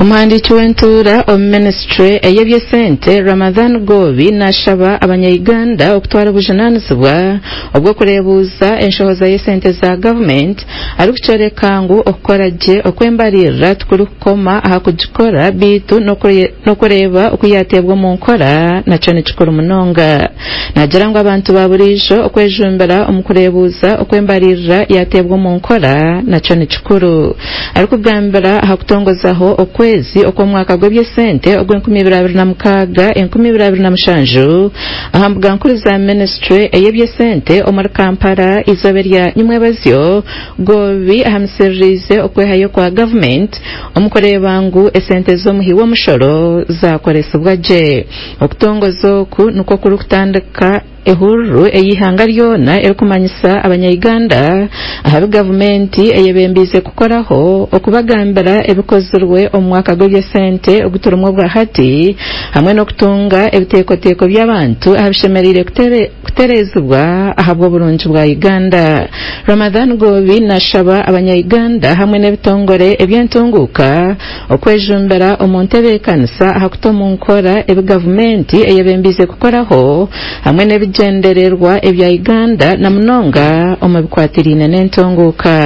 Omuhandiiki w'entuura omu minisiture ey'eby'esente Ramadhan Goobi nashaba abanya-Uganda okutwara obujunaanizibwa obw'okureebuuza enshohoza y'esente za gavumenti arikukyoreka ngu okukora gye okw'embaririra tikurikukoma aha kugikora beitu n'okureeba oku yateebwa omu nkora nakyo ni kikuru munonga. Naagira ngu abantu ba buriijo okwejumbira omu kureebuuza okw'embaririra yateebwa omu nkora nakyo ni kikuru. Arikugambira aha kutongozaho okwezi okw'omwaka gw'eby'esente ogw'enkumi ibiri abiri na mukaaga 2027 aha mbuga nkuru za minisiture ey'eby'esente omuri Kampala eizooba erya nyimwebazyo, Goobi ahamisiririize okwehayo kwa gavumenti omu kureeba ngu esente z'omuhi w'omushoro zakoresibwa gye. Okutongoza oku nikwo kurikutandika ehururu ey'eihanga ryona erikumanyisa abanya-Uganda aha bi gavumenti eyebembiize kukoraho, okubagambira ebikozirwe omu mwaka gw'eby'esente ogu turimu obwa hati hamwe n'okutunga ebiteekateeko by'abantu aha bishemereire kutereezibwa ahabw'oburungi bwa Uganda. Ramadhan Goobi nashaba abanya-Uganda hamwe n'ebitongore eby'entunguuka okwejumbira omu ntebeekanisa aha kuta omu nkora ebi gavumenti eyebembiize kukoraho hamwe n'ebigyendererwa ebya Uganda na munonga omu bikwatiriine n'entunguuka.